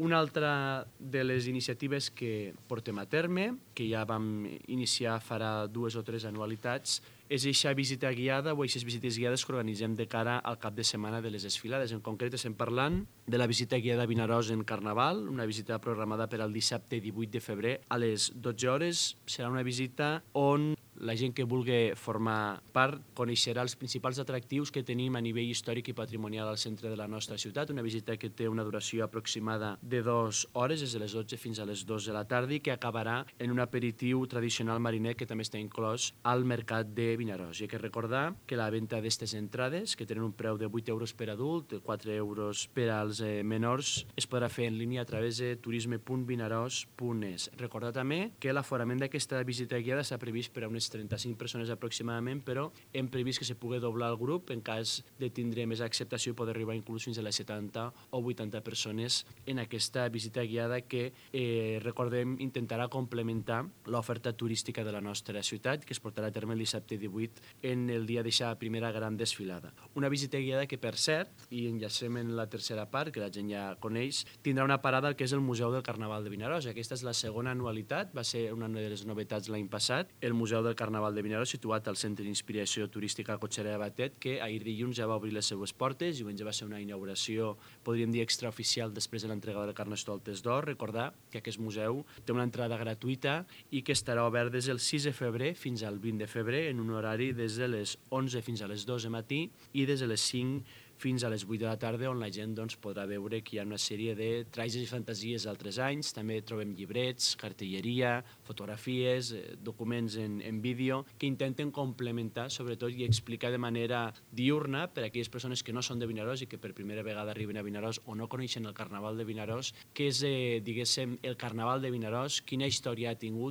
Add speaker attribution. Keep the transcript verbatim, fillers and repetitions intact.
Speaker 1: Una altra de les iniciatives que portem a terme, que ja vam iniciar farà dues o tres anualitats, és aquesta visita guiada o aquestes visites guiades que organitzem de cara al cap de setmana de les desfilades. En concret estem parlant de la visita guiada a Vinaròs en Carnaval, una visita programada per al dissabte divuit de febrer a les dotze hores. Serà una visita on la gent que vulgui formar part coneixerà els principals atractius que tenim a nivell històric i patrimonial al centre de la nostra ciutat, una visita que té una duració aproximada de dues hores, des de les dotze fins a les dues de la tarda, i que acabarà en un aperitiu tradicional mariner que també està inclòs al mercat de Vinaròs. I hay que recordar que la venda d'aquestes entrades, que tenen un preu de vuit euros per adult, quatre euros per als eh, menors, es podrà fer en línia a través de turisme punt vinaròs punt es. Recordar també que l'aforament d'aquesta visita guiada s'ha previst per a unes trenta-cinc persones aproximadament, però hem previst que se pugui doblar el grup en cas de tindre més acceptació i poder arribar inclús fins a les setanta o vuitanta persones en aquesta visita guiada que, eh, recordem, intentarà complementar l'oferta turística de la nostra ciutat, que es portarà a terme el dissabte divuit en el dia d'aquesta primera gran desfilada. Una visita guiada que, per cert, i enllacem en la tercera part, que la gent ja coneix, tindrà una parada al que és el Museu del Carnaval de Vinaròs. Aquesta és la segona anualitat, va ser una de les novetats l'any passat, el Museu del Carnaval de Vinaròs, situat al Centre d'Inspiració Turística Cotxera de Batet, que ahir dilluns ja va obrir les seues portes. Diumenge va ser una inauguració, podríem dir, extraoficial després de l'entrega del Carnestoltes d'Or. Recordar que aquest museu té una entrada gratuïta i que estarà obert des del sis de febrer fins al vint de febrer en un horari des de les onze fins a les dos de matí i des de les cinc fins a les vuit de la tarda, on la gent doncs, podrà veure que hi ha una sèrie de trajes i fantasies d'altres anys. També trobem llibrets, cartelleria, fotografies, eh, documents en, en vídeo, que intenten complementar, sobretot, i explicar de manera diurna per a aquelles persones que no són de Vinaròs i que per primera vegada arriben a Vinaròs o no coneixen el Carnaval de Vinaròs, què és, eh, diguéssim, el Carnaval de Vinaròs, quina història ha tingut,